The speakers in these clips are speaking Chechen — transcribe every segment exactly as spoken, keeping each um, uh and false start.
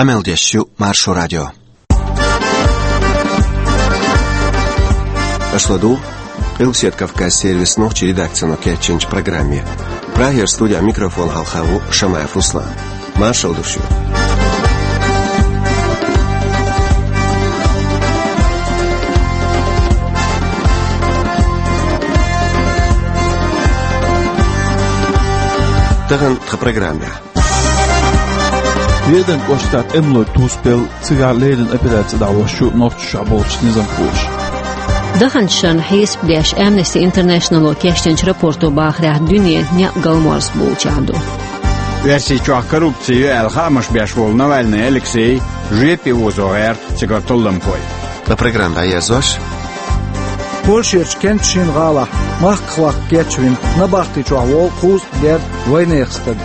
Къамел деш ю Маршо радио. Аша ладугӀу Къилбаседа Кавказан сервисан нохчийн редакцино кечйинчу программе. Прагера студин микрофона хьалха ву Шамаев Руслан. Маршалла ду шуьга. Тахана тхан программехь. Веданан кӀоштахь тӀемалой тусбелла, цигахь леррина операци дӀахьош ю Нохчийчохь болчу низамхоша. Даханчу шарна хьесап деш, Amnesty International-о кечдинчу рапорто бахарехь, дуьне некъ галморза болчохь ду. Оьрсийчохь коррупци ю аьлла хаамаш беш волу Навальный Алексей жоьпе озо гӀерта цигара толламхой. Ткъа программа дӀаерзош. Польшерчу кентан шина гӀалахь махках ваккха кечвина, набахти чохь волу кхузткъа герга вайнехан стаг.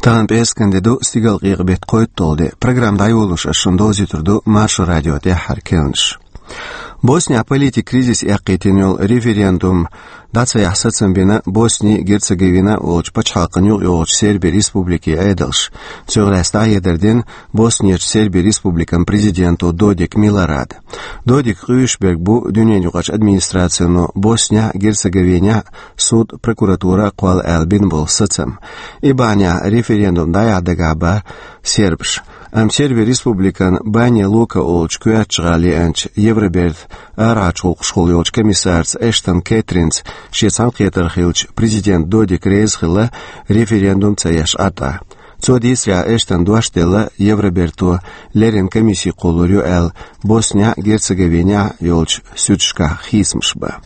Тахана пӀераскан де ду, стигалкъекъа беттан кхойтталгӀа де. Программа дӀайолош ас шуна довзуьйтур ду Маршо радион тӀаьххьара керланаш. Боснехь политикан кризис эккхийтина йолу референдум дӀа ца яхьа сацам бина Босни-Герцеговина олучу пачхьалкхана юкъайогӀучу Серби Республикин Ӏедалша. Цуьнах лаьцна дӀахьедар дина Боснерчу Серби Республикан президента Додик Милорада. Додик къуьйсуш берг бу дуьненаюкъарчу администрацино Боснехь а, Герцеговинехь а суд, прокуратура а кхолла аьлла бина болу сацам. И бахьанехь референдум дӀаяхьа дагахь бара сербаш. Амма Серби Республикан Баня Лука олучу коьртачу гӀала еанчу Евробертан арахьарчу гӀуллакхашкахула йолчу комиссарца Эштон Кэтринца шен цхьаьнакхетар хилча, президент Додик реза хилла референдум ца еш Ӏа тӀе. Цо дийцарехь, Эштона дош делла, Евроберто леррина комисси кхуллур ю аьлла, Боснехь а, Герцеговинехь а йолчу суьдашкахь хийцамаш бан.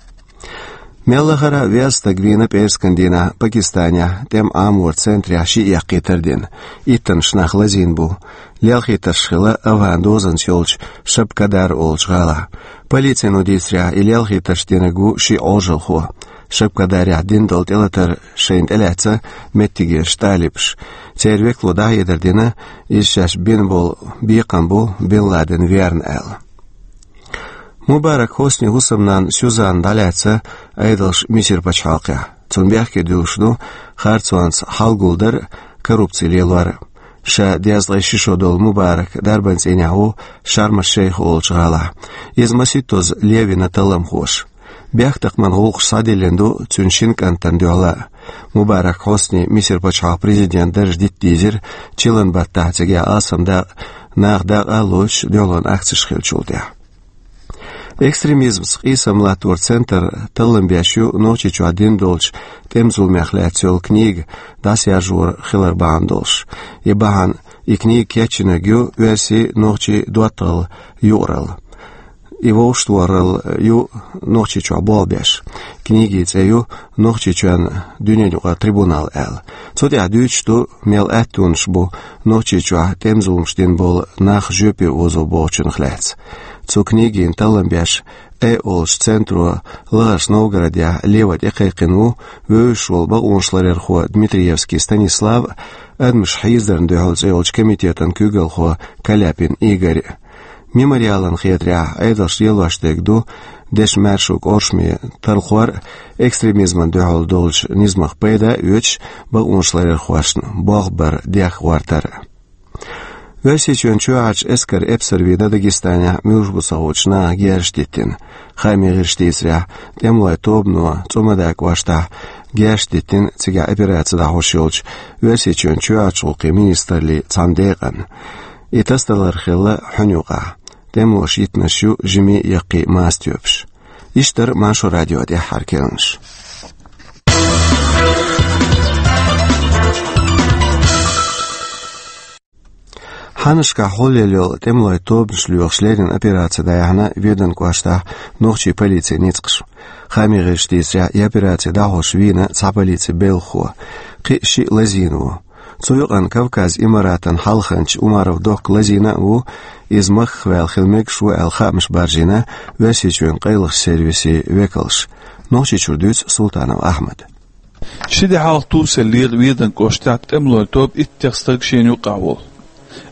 Мел лахара а веза стаг вийна пӀераскан дийнахь Пакистанехь тӀеман Ӏаморан центрехь ши эккхийтар дина. Иттаннаш нах лазийна бу. Лелхийтарш хилла Афган дозанца йолчу Шабкадар олучу гӀалахь. Полицино дийцарехь, и лелхийтарш динарг ву шиъ Ӏожалхо. Шабкадарехь дина долу тӀелатар шайна тӀелаьцна меттигерчу талибаша. Церан векало дӀахьедар дина, иза шаьш бина болу бекхам бу Бин Ладен верна аьлла. Мубарак Хоснин хӀусамнанна Сюзанна дӀалаьцна Ӏедалша Мисар пачхьалкхехь. Цунна бехке дуьллуш ду харцонца хьалгулдар а, коррупци лелор а. Ша дезткъе ши шо долу Мубарак дарбан цӀийнехь ву Шарм-аш-Шейх олучу гӀалахь. Иза масийттазза левина талламхоша. Бехктакхаман гӀуллакхаш схьадиллина ду цуьнан шина кӀантана дуьхьал а. Мубарак Хьосни Мисар пачхьалкхан президентан дарж дита дийзира чиллан баттахь, цигахь алсам дакъа, наха дакъа а лоцуш, дуьхьалонан акцеш хиллачул тӀаьхьа. Экстремизмца къийсам латторан центр таллам беш ю Нохчийчохь дина долчу тӀеман зуламех лаьцна йолу книга дӀасаяжор хилар бахьана долуш. И бахьана, и книга кечйинарг ю оьрсийн, нохчийн доттагӀалла юкъаралла. И вовшахтохаралла ю Нохчийчохь болх беш. Книгин цӀе ю «Нохчийчоьнан дуьненаюкъара трибунал» аьлла. Цу тӀехь дуьйцуш ду, мел аьттонаш бу Нохчийчохь тӀеман зуламаш дина болу нах жоьпе озо бохучунах лаьцна. Цу книгина таллам беш «Э» олучу центро лахарчу Новгородехь леван тӀекхайкхина ву вевзаш волу бакъонашларъярхо Дмитриевский Станислав а, «Адамаш хьийзадарна дуьхьал» цӀе йолчу комитетан куьйгалхо Каляпин Игорь а. Мемориалан хетарехь, Ӏедалша лелош дерг ду дешан маьршонан кӀоршаме талхор а, экстремизмана дуьхьал долчу низамах пайда а оьцуш, бакъонашларъярхошна болх бар дехка гӀортар а. Оьрсийчоьнан чоьхьарчу эскаран эпсар вийна Дагестанехь муьлш бу ца хуучу наха герзаш диттина. Хаамийн гӀирсаша дийцарехь, тӀемалойн тобано ЦӀумадан кӀоштахь герзаш диттина цигахь операци дӀахьош йолчу Оьрсийчоьнан чоьхьарчу гӀуллакхийн министраллин цхьана декъана. И тасадалар хилла хьуьнан юкъахь. ТӀемалоша йитинарш ю жимий а, яккхий а мастабоьпаш. Иштта дара Маршо радион тӀаьххьара керланаш. Хьаннашкахь хьулъелла йолу тӀемалойн тобанаш лоьхуш леррина операци дӀаяьхьна Веданан кӀоштахь нохчийн полицин ницкъаша. Хаамийн гӀирсаша дийцарехь, и операци дӀахьош вийна цхьа полицин белхахо. Кхин а шиъ лазийна ву. Цу юкъана Кавказан Имаратан хьалханча Умаров Дохк лазийна а ву, иза махках ваьлла хила мегаш ву аьлла хаамаш баржийна Оьрсийчоьнан къайлахчу сервисийн векалша. Нохчийчуьра дуьйцу Султанов Ахьмада. Ши де хьалха тусаеллера Веданан кӀоштахь тӀемалойн тоба иттех стаг шена юккъехь волу.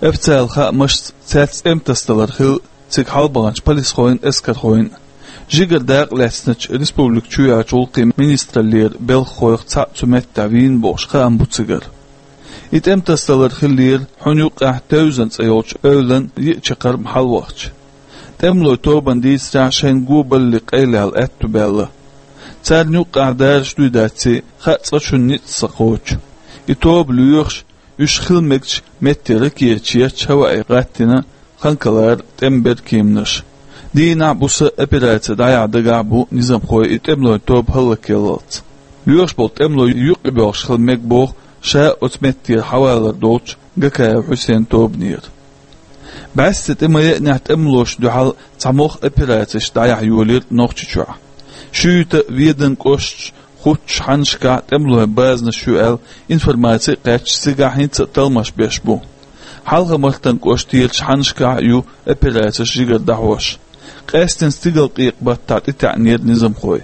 Официалан хаамашца, цаьрца тӀеман тасадалар хилла цига хьалабаханчу полисхойн а, эскархойн а. Жигара дакъа лаьцначу республика чу йоьллачу гӀуллакхийн министраллера белхахойх цхьаъ цу меттехь вийна бохуш хаам бу цигара. И тӀеман тасадалар хиллера хьуьнан юккъехь Тевзан цӀе йолчу эвлан йиъ чаккхарма хьалавахча. ТӀемалойн тобанна дийцарехь, шайна го балале къайлаяла аьтто баьлла. Царна юккъехь дараш дуй дац, хаа цкъачунна ницкъ ца кхочу. И тоба лоьхуш, уьш хила мегачу метте ракеташ етташ хӀаваъе гӀаттийна Ханкалара тӀеман беркеманаш. Дийнахь а, буса а операци дӀаяхьа дагахь а бу низамхой и тӀемалойн тоба хӀаллакъяллалц. Лоьхуш болу тӀемалой юкъа боьлхуш хила мега боху ша оцу меттера хьавалар долчу Гакаев Хьусейнан тобанера. БӀаьсти тӀе ма-еанехь, тӀемалошна дуьхьал цхьа могӀа операцеш дӀаяхьа йолийра Нохчийчохь. Шуьйта а, Веданан кӀошташ а хуттучу хьаннашкахь а тӀемалойн базанаш ю аьлла информаци а кхаьчна, цигахь хӀинца а талламаш беш бу. Хьалха-Мартан кӀоштарчу хьаннашкахь а ю операцеш жигара дӀахьош. Къаьсттина Стигалкъекъа-баттахь тӀетаьӀнера низамхой.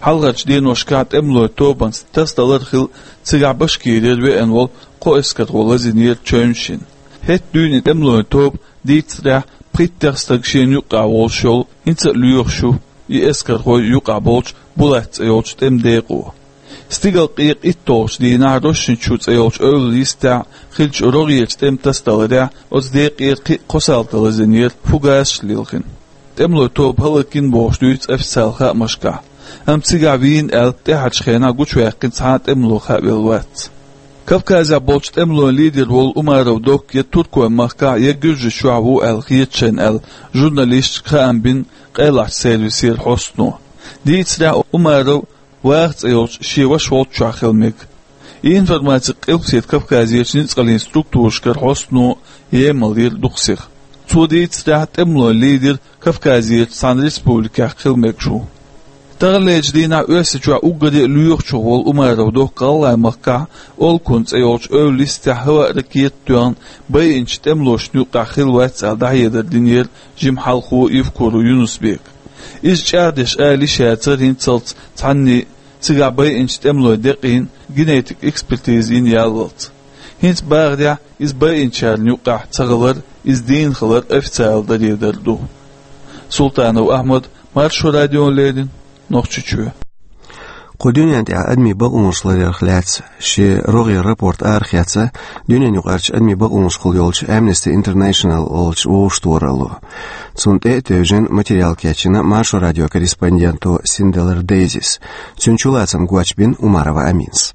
Хьалхарчу деношкахь тӀемалойн тобанца тасадалар а хилла, цигахь Башкирера веана волу кхо эскархо лазийнера Чевнашина. ХӀетахь дуьйна и тӀемалойн тоба, дийцарехь, пхийттех стаг шена юккъехь волуш йолу, хӀинца а лоьхуш ю и эскархой юкъахь болчу Булат цӀе йолчу тӀеман декъо. Стигалкъекъа итталгӀачу дийнахь Рошничу цӀе йолчу эвлан йистехь хиллачу рогӀерчу тӀеман тасадаларехь оцу декъера кхин а кхо салта лазийнера, фугасаш а лилхина. ТӀемалойн тоба хӀаллакйина бохуш дуьйцу официалан хаамашкахь, амма цигахь вийна аьлла, тӀаьхьарчу хенахь гучуваьккхина цхьа а тӀемало хаавелла вац. Кавказехь болчу тӀемалойн лидер волу Умаров Докка я Туркойн махкахь, я Гуьржийчохь ву аьлла хета шайна аьлла, журналисташка хаам бина къайлахчу сервисера хьостано. Дийцарехь, Умаров Ваха цӀе йолчу шен ваша волччохь хила мега. И информаци Къилбаседа Кавказерчу ницкъаллин структурашкара хьостано емаллера дукха сиха. Цо дийцарехь, тӀемалойн лидер Кавказерчу цхьана республикехь хила мегаш ву. Таханлерчу дийнахь Оьрсийчохь уггаре а лоьхучух волу Умаров Докка ГӀалгӀайн махкахь Олкун цӀе йолчу эвлан йистехь хӀаваъ-ракета а тоьхна байинчу тӀемалошна юккъехь хилла вац аьлла дӀахьедар динера жима хьалхо Евкуров Юнус-Бека. Иза чӀагӀдеш ала йиш яцара хӀинццалц цхьанний, цигахь байинчу тӀемалойн декъийн генетик экспертиза йина яллалц. ХӀинца бахарехь, иза байинчарна юккъехь ца хилар, иза дийна хилар официалан даредар ду. Султанов Ахьмад, Маршо радиона леррина, Нохчийчоь. Кху дуьнен тӀехь адамийн бакъонаш ларъярх лаьцна шен рогӀера рапорт арахецна дуьненаюкъарчу адамийн бакъонашкахула йолчу Amnesty International олучу вовшахтохаралло. Цунна тӀе а тевжина, материал кечйина Маршо радион корреспонденто Синделар Дейзис. Цуьнан чулацам гочбина Умарова Аминас.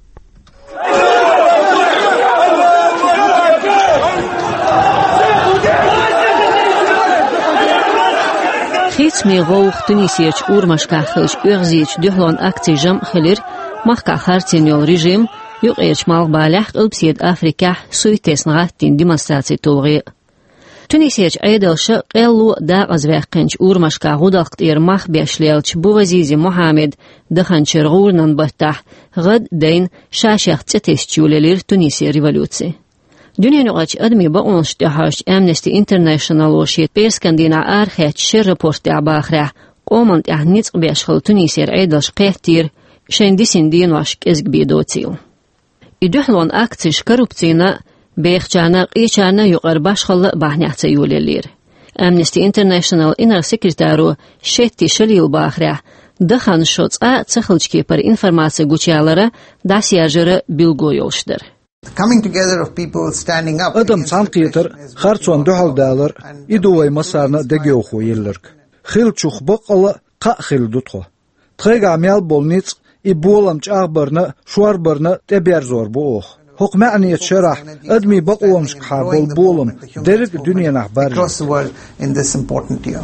Хийцамийн гӀовгӀа Тунисерчу урамашкахь хиллачу оьгӀазечу дуьхьалонан акцийн жамӀ хилира махкахь харцйина йолу режим, юккъерчу Малхбалехь, Къилбаседа Африкехь суьйттесна гӀаттийна демонстрацийн тулгӀе. Тунисерчу Ӏедалша къелло а дакъазваьккхинчу урамашкахь гӀудалкх тӀера мах беш леллачу Бувазизи Мухьаммеда даханчуьра гӀуранан баттахь гӀад а дайна, ша-шех цӀе тесча йолаелира Тунисера революци. Дуьненаюкъарчу адамийн бакъонашна тӀехьожучу Amnesty International-о шен пӀераскан дийнахь арахецначу шеран рапорт тӀехь бахарехь, къоман тӀехь ницкъ беш хилла Тунисера Ӏедалша кхеттера шайна дисина денош кӀезиг бен доцийла. И дуьхьалонан акцеш коррупцина а, бехачарна а, къечарна а юкъара башхалла а бахьанехь ца йолаеллера. Amnesty International инарла-секретаро Шетти Шалила бахарехь, даханан шо цкъа а ца хиллачу кепара информаци гучуялара, дӀасаяржара билгало йолуш дара. Coming together of people standing up. Адам цхьаьнакхетар, харцонна дуьхьал далар, и ду вай массарна а дегайовхо елларг. Хиллачух баккъалла а кхаъ хилла ду тхо. Тхайгахь мел болу ницкъ, и болам чӀагӀбарна а, шорбарна а тӀеберзор бу оха. ХӀокху маьӀнечу шарахь адамийн бакъонашкахьа болу болам дерриг а дуьненахь баржийта. Across the world in this important year.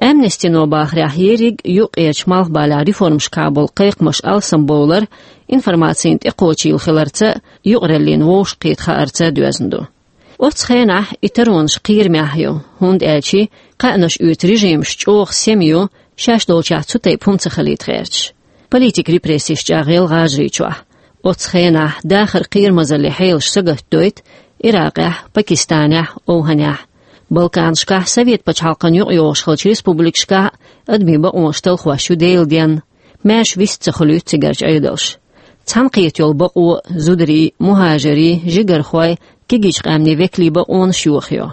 Amnesty-но бахарехь, ерриг а юккъерчу Малхбалехь реформашкахьа болу кхайкхамаш алсамбовлар, информацина тӀекхочийла хиларца а, юкъараллина вовшахкхета хаарца а доьзна ду. Оццу хенахь и таронаш кхерамехь ю, хӀунда аьлча кхаьънаш оьцу режимаш чӀогӀа сема ю, шаьш долчохь цу тайпа хӀума ца хилийта гӀерташ. Политикан репрессеш чӀагӀъелла ГӀажарийчохь. Оццу хенахь дахаран кхерамазаллин хьелаш сагатдойту Иракъехь, Пакистанехь, ОвхӀанехь. Балканашкахь, Совет пачхьалкхана юкъайогӀуш хиллачу республикашкахь а адамийн бакъонаш талхош ю Делан денна. Маьрша вист ца хуьлуьйту цигарчу Ӏедалша. Цхьаьнакхета йолу бакъо, зударийн, мухӀажарийн, жигархойн, кегийчу къаьмнийн векалийн бакъонаш йохайо.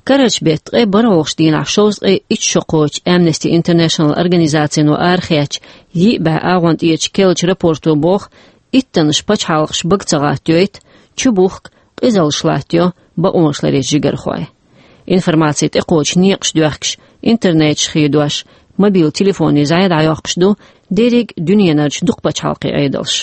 Карарчу беттан ткъе бархӀалгӀачу дийнахь шовзткъе итт шо кхочу Amnesty International организацино арахецначу йиъ бӀе агӀонтӀерачу керлачу рапорто боху, иттаннаш пачхьалкхаш бага ца гӀаттайойту, чубухку, къизаллаш латтайо бакъонашларъечу жигархой. Информаци тӀекхочу некъаш доьхкуш, интернеташ хедош, мобил телефонийн зӀе дӀайоккхуш ду дерриг дуьненарчу дукха пачхьалкхийн Ӏедалш.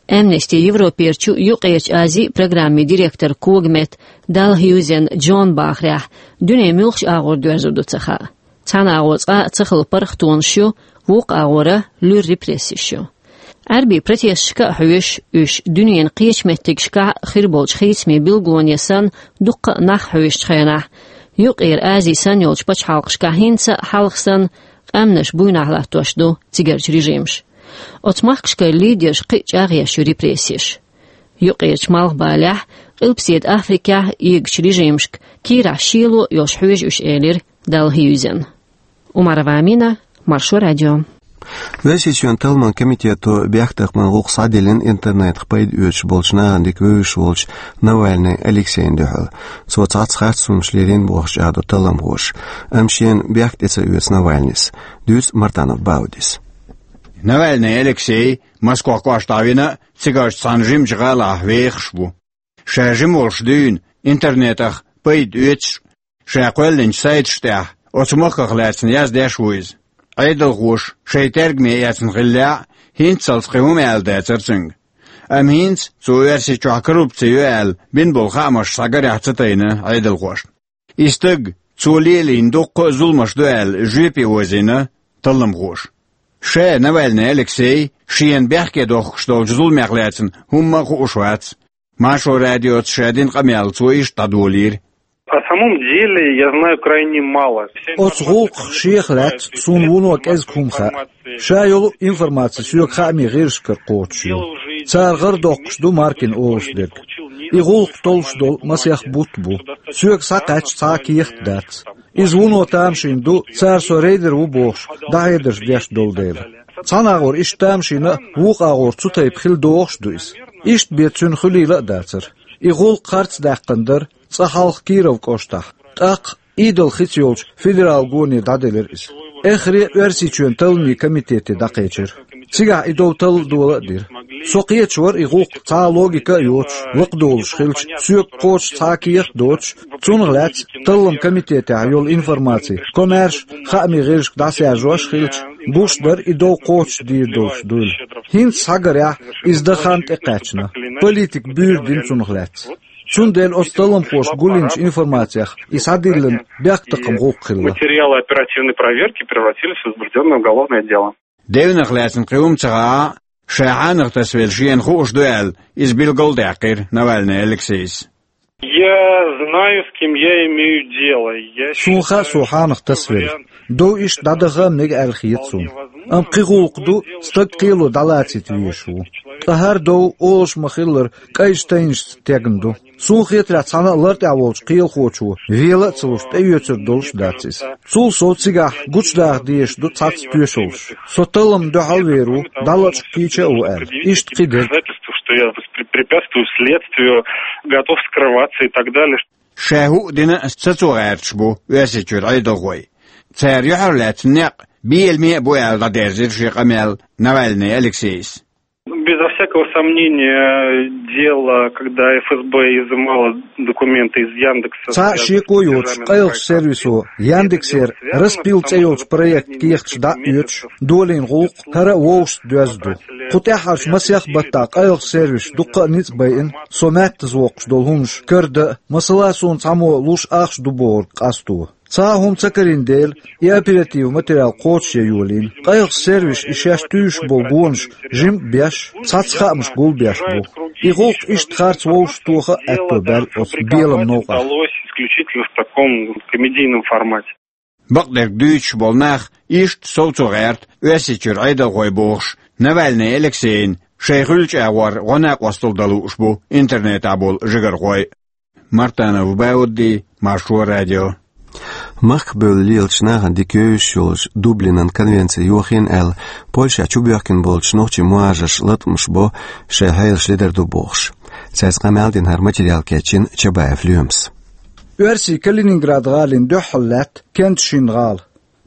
Amnesty Европерчу Юккъерчу Азин программин директор когаметта Далхьюзен Джон бахарехь, дуьненан муьлхачу агӀор доьрзур ду ца хаьа. Цхьана агӀор цкъа а ца хилла паргӀатонаш ю, вукху агӀора луьра репрессеш ю. Ӏаьрбийн протесташка а хьоьжуш, уьш дуьненан кхечу меттигашкахь а хир болчу хийцамийн билгалонех санна дуккха а нах хьоьжучу хенахь, Юккъера Ази санна йолчу пачхьалкхашкахь хӀинца а хьалха санна къаьмнаш буйнахь латтош ду цигарчу режимаша. Оцу махкашкара лидерш кхин а чӀагӀъеш ю репрессеш. Юккъерчу Малхбалехь, Къилбаседа Африкехь а эгачу режимашка кийрахь шело а йолуш хьоьжу уьш, элира Далхьюзен. Умарова Амина, Маршо радио. Оьрсийчоьнан талламан комитето бехктакхаман гӀуллакх схьадиллина интернетах пайда оьцуш болчу нахана дика вевзаш волчу Навальный Алексейна дуьхьал. Цо цхьацца харц хӀуманаш лелийна бохуш чӀагӀдо талламхоша. Амма шена бехк тӀе ца оьцу Навальнийс. Дуьйцу Мартанов Баудис. Навальный Алексей Москох кӀоштахь вина а, цигарчу цхьана жимачу гӀалахь вехаш ву. Ша жима волуш дуьйна интернетах пайда оьцуш, ша кхоьллинчу сайташ тӀехь оцу махках лаьцна яздеш ву иза. Ӏедалхоша шайн тергаме эцна хиллехь а, хӀинццалц кхин хӀума аьлла дацара цуьнга. Амма хӀинца цо Оьрсийчохь коррупци ю аьлла бина болу хаамаш схьагарехь ца тайна Ӏедалхошна. И стаг, цо лелийна дуккха а зуламаш ду аьлла, жоьпе озийна талламхоша. Ша Навальный Алексей шена бехке дохкуш долчу зуламех лаьцна хӀумма а хууш вац. Маршо радиоца ша дина къамел цо иштта дӀадолийра. О самом деле я знаю крайне мало. Оцу гӀуллакхах шех лаьцна суна вуно кӀезиг хӀума хаьа. Ша йолу информаци соьга хаамийн гӀирсашкара кхочуш ю. Цара гӀара доккхуш ду Маркина олуш дерг. И гӀуллакх толлуш долу масех бутт бу. Соьга схьакхаьчча цхьа а кехат дац. Иза вуно тамашийна ду, цара со рейдер ву бохуш, дӀахьедарш деш долу дела. Цхьана агӀор иштта тамашийна а, вукху агӀор цу тайпа хила догӀуш а ду иза. Иштта бен цуьнан хуьлийла а дацара. И гӀуллакх харц даьккхина дара цкъа хьалха Киров кӀоштахь. ТӀаккха Идал хица йолчу федерал гоне дӀаделира иза. Эххар а Оьрсийчоьнан талламийн комитете дӀакхечира. Цигахь и дов талла а дола а дира. Со кхеташ вара и гӀуллакх цхьа а логика а йоцуш, лакхадолуш хилча, соьга кхочуш цхьа а кехат а доцуш, цунах лаьцна талламан комитетехь йолу информаци комаьрша хаамийн гӀирсашка дӀасаяржош а хилча, гуш дара и дов кхочушдийр долуш дуйла. ХӀинца схьагарехь, иза дан хан тӀекхаьчна. Политикан буьйр дина цунах лаьцна. Цундела оцу талламхоша гулйинчу информацех и схьадиллина бехктакхаман гӀуллакх хилла. Материалы оперативной проверки превратились в возбуждённое уголовное дело. Девнах лаьцна кхин хӀума ца хаьа, ша хьанах тасавелла шена хууш ду аьлла, иза билгал а даьккхира Навальный Алексейс. Я знаю, с кем я имею дело. Я Суна хаьа, со хьанах тасавелла. Дов иштта дӀадаха а мега аьлла хета суна. Амма кхин гӀуллакх ду, стаг кхело дӀалацита везаш ву. Ткъа хӀара дов, олуш ма-хиллара, кӀайчу тайнашца тегна ду. Суна хетарехь, цхьана а лартӀехь волчу кхелахочо вела а ца луш, тӀеоьцур долуш а дац иза. Цул сов цигахь гучудаха дезаш ду цхьацца тоьшаллаш. Со талламна дуьхьал а вер ву, дӀалачкъа кийча а ву аьлла. Иштта кхидерг. Доказательство, что я воспре-, препятствую следствию, готов скрываться и так далее. Ша хӀуъа дина а сацо гӀерташ бу Оьрсийчуьра Ӏедалхой. Цара юьхьарлаьцна некъ беламе а бу аьлла дӀадерзира шен къамел Навальный Алексейс. Безо всякого сомнения, дело, когда Ф С Б изымало документы из Яндекса, Цхьа а связанные с шеко йоцуш, федеральными къайлахчу сервисо Яндексера «Распил» цӀе йолчу проектан кехаташ дӀа а оьцуш, долийна гӀуллакх хӀара а вовшашца доьзна ду. Кху тӀаьххьарчу масех баттахь къайлахчу сервисаша дуккха а ницкъ байина со маьттаза воккхуш долу хӀуманаш карадан а, масала, суна цхьаммо луш ахча ду бохург къасто. Цхьа а хӀума ца карийна дела, и оперативан материал кхочушъян йолийна. Къайлахчу сервисаша и шаьш туьйсуш болу гонаш жима а беш, цхьацца хаамаш гулбеш бу. И гӀуллакх иштта харц вовшахтоха а аьтто баьлла оцу беламан новкъахь. Удалось исключительно в таком комедийном формате. Бакъдерг дуьйцуш болу нах иштта совцо гӀерта Оьрсийчуьра Ӏедалхой бохуш, Навальный Алексейна шайн хуьлучу агӀор гӀо-накъосталла дан лууш бу интернетехь болу жигархой. Мартанов Баудди, Маршо радио. Махкабевлла лелачу нахана дика евзаш йолчу Дублинан конвенци йохийна аьлла, Польшехь чубоьхкина болчу нохчийн мухӀажарша латкъамаш бо, шайн хьелаш ледар ду бохуш. Цаьрца къамел дина, хӀара материал кечйина Чабаев Лоьмас. Оьрсийн Калининград гӀалина дуьххьал лаьтта Кенджи-Шин гӀала.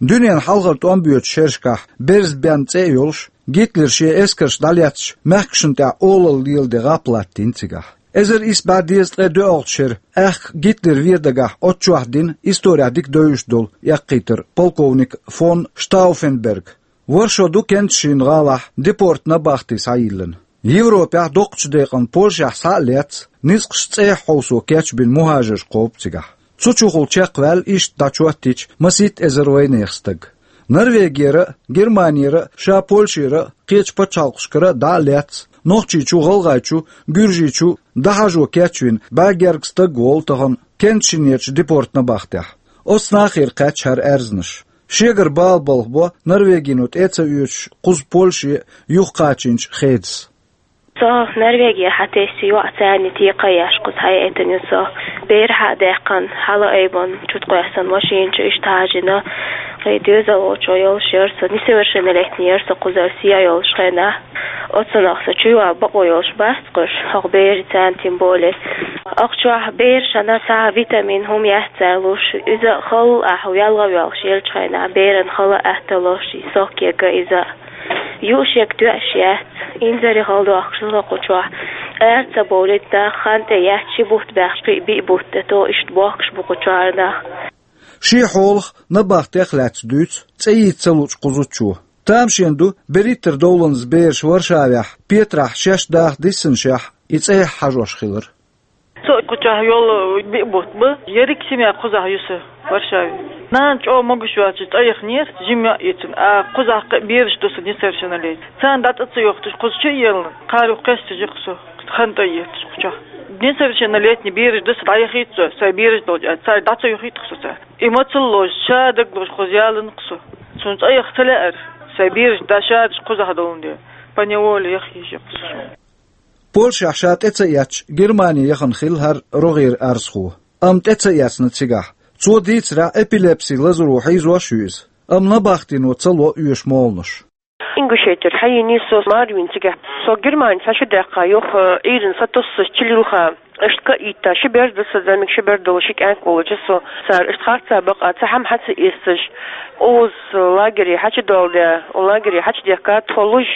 Дуьненан хьалхара тӀом боьдучу шерашкахь берза бен цӀе а йолуш, Гитлера шен эскарш дӀалецначу мехкашна тӀехь олалла леладе гӀап латтийна цигахь. Эзар исс бӀе дезткъе доьалгӀачу шеран аьхка Гитлер вен дагахь оццу чохь дина исторехь дика девзаш долу эккхийтар полковник фон Штауфенберг. ВорхӀ шо ду Кенджи-Шин гӀалахь депорт-набахти схьайиллина. Европехь доккхачу декъана Польшехь схьа а лецна, ницкъаш цӀехьа хьовсо кечбина мухӀажарш кхобу цигахь. Цу чухула чекхваьлла иштта дӀачоттийча масийтта эзар вайнехан стаг. Норвегера а, Германера а, ша Польшера а, кхечу пачхьалкхашкара а дӀа а лецна, Нохчийчу, ГӀалгӀайчу, Гуьржийчу дӀахьажо кечвина бӀе гергга стаг волу тахана Кенджи-Шинерчу депорт-набахтехь. Оцу нахера кхаьчна хӀара аьрзнаш. Шегара бала балхабо Норвегино тӀе а ца оьцуш кхуза Польше юхакхачийначу Хедас. Со Норвегехь схьатесна йоӀ, царна текхаеш кхуза схьаэцна ю со. Бер схьа а даьккхина, хьала а айбина, чу тӀе кхоьссина машина чу иштта хьажийна. Вайн доьзал волчо йолуш яра со, несовершеннолетний яра со кхузара сий а йолуш хенахь. Оцунах со чуйоьлла бакъо йолуш бац кхуьш, хӀокху берийн царна тем более. Ахчохь берашна цхьа витамин хӀума яц цара луш, иза хала ахь велха воьлхуш елчу хенахь, беран хала атта луш, и сок ега иза. Юушек тоьаш яц, инзаре хала дохкуш ду со кху чохь. Ара ца бовлийта нах, хан тӀе яц, ши бутт баьхча, кхин биъ бутт тӀе то иштта бохкуш бу кху чохь нах. Шен хьолах набахтех а лаьцна дуьйцу цӀе йийца ца луучу кхузачо. Тамашийна ду, берхӀиттара довланза бераш Варшавехь Петрахь шаьш даха диссинашехь и цӀехьа хьажош хилар. Со кху чохь йолу биъ бутт бу, ерриг семья кхузахь ю сан Варшаве. Нана чӀогӀа могуш ваьлча цӀа яханера, жима йоӀ ю цуьнан, а кхузахь кхин бераш ду сан несовершеннолетний. Царна дӀа цӀа ца йохуьйтуш кхуза чу а елла, кхарах кхечча жима со хан тӀе а етташ кху чохь. Несовершеннолетний бераш ду сан, дӀаяхийта со, сайн бераш долчу аьлла, цара дӀа ца йохуьйтуш со царна. И мацалла лозуш, ша дагалозуш кхуза яланах со. Суна цӀа яха ца лаьара, сайн бераш дӀа ша даш кхузахь долун де. Поневоле яха йиш ю кхуза суна. Польшехь ша тӀе ца эцча, Германи яхана хилла хӀара рогӀера арзхо. Амма тӀе ца эцна цигахь. Цо дийцарехь, эпилепси лазаро хьийзош а ю иза. Амма набахтино ца ло оьшу молханаш. Ингушетера схьайийна со, марвин цигахь. Со Германи схьа шу даьккха, юха Ӏуьйранна схьатоссуш чу лилха. Иштта ка а йитта, ши бер ду сан, зӀамига ши бер долу ши кӀант волчу со. Цара иштта харц а бакъ а, цхьа хӀума схьа ца эццаш, оза лагере схьа чу долу де, лагере схьа чу дехка тхо луш,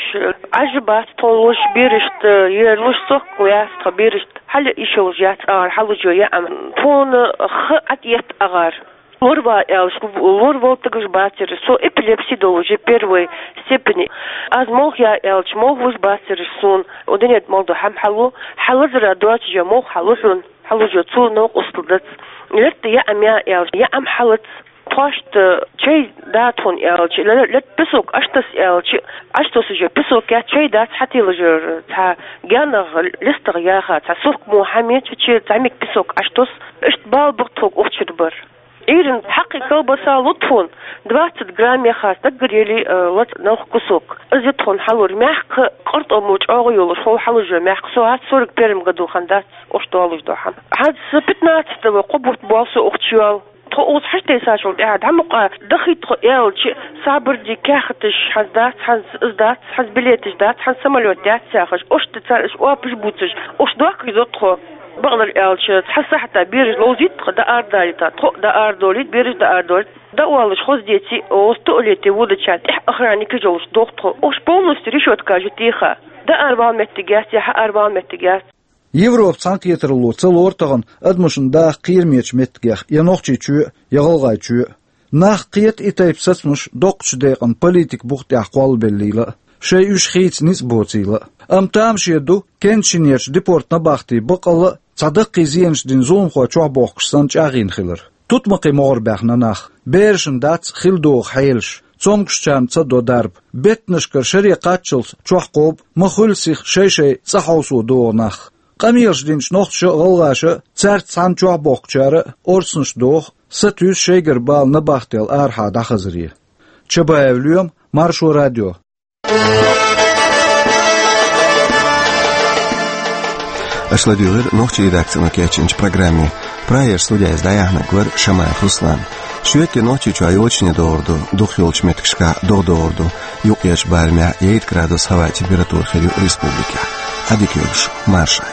Ӏаж бац тхо луш, берашта, э, луш сохкал яц тхо берашта. Хьала йиш йолуш яц агӀор, хьалужо яа ма. Тхуна ха Ӏад етта агӀор. Лор ван аьлча, лор волу стагаш бацара, со эпилепси долуш я первой степени. Аз молха я аьлча, молха луш бацара суна, о, динет мол ду хӀама хьалу, хьалазара доцуш я молха хьалу хьуна, хьалужо цо новкъостал дац. Летта яа ма я аьлча, яа ма хьалац. Тхоашта чай да тхуна аьлча, ле-, летта песок Ӏаш таса аьлча, Ӏаш тосуш я песок яц, чай дац хьатилажар, цхьа генах листагӀ яха, цхьа сохка мо хӀама еча, цхьа миг песок Ӏаш тос, иштта бала бу тхо ухчур бар. Ӏуьйранна хьакхи колбаса лу тхуна, двадцать грамм яха стаг гарели, э, лац нах кусок. Иза тхуна хьалур мягко, къартӀо мо чӀогӀа йолуш, хьол хьалужо мягко, со хӀац сорок первом году хан дац, уш долуш до хьан. ХӀац пятнадцатого кхо бутт бу со ухчу йола. Тхо уза хьаштесачул тӀаьхьа дӀа мукъа дахийта тхо аьлча, сабарди кехаташ хьанз дац, хьанз из дац, хьанз билеташ дац, хьанз самолёт дац яхаш, уш ду цара уш опаш буцаш, уш дохкаш до тхо. Бакъдолу аьлча, цхьа сахьта бераш ловзийта тхо, даа арадалийта, тхо а даа арадолийта, бераш даа арадолийта. Даа олуш хоза деций, оцу туалете вудачарна тӀехь охранникаш йолуш доху тхо. Уш полностью решётка жу теха. Даа аравала меттиг яц, я хьаа аравала меттиг яц. Европа цхьаьнакхетаралло ца лору тахана адамашна даха кхерамечу меттигех я Нохчийчоь а, я ГӀалгӀайчоь а. Нах кхета и тайпа сацамаш доккхачу декъана политика бух тӀехь кхоллабеллийла а, шайн уьш хийца ницкъ боцийла а. Амма тамаше ду, Кенджи-Шинерчу депорт-набахти баккъалла а цхьа даккхий зенаш дина зуламхой чохь бохкуш санна чӀагӀйина хилар. Тутмакхий могӀара баьхна нах, берашна дац хила догӀу хьелаш, цомгушчарна ца до дарба. Беттанашкара шаре кхаччалц чохь кхобу, ма хуьлу сиха шай-шай цӀа хьовсо догӀу нах. Къамелаш динчу нохчаша а, гӀалгӀаша а, цаьрца цхьаьна чохь бохкучара а орцанаш доху, сатуьйсу шайгара бала набахтел арахьа дӀахазаре. Чабаев Лоьма, Маршо радио. Аша ладуьйгӀира нохчийн редакцино кечйинчу программе. Прагера студехь иза дӀаяьхьнарг вара Шамаев Руслан. Шоьтан Нохчийчохь йочане догӀур ду, дукхах йолчу меттигашкахь догӀа догӀур ду, юккъерчу барамехь ейт градус хӀаваан температура хир ю республикехь. Ӏадика йойла шун, марша.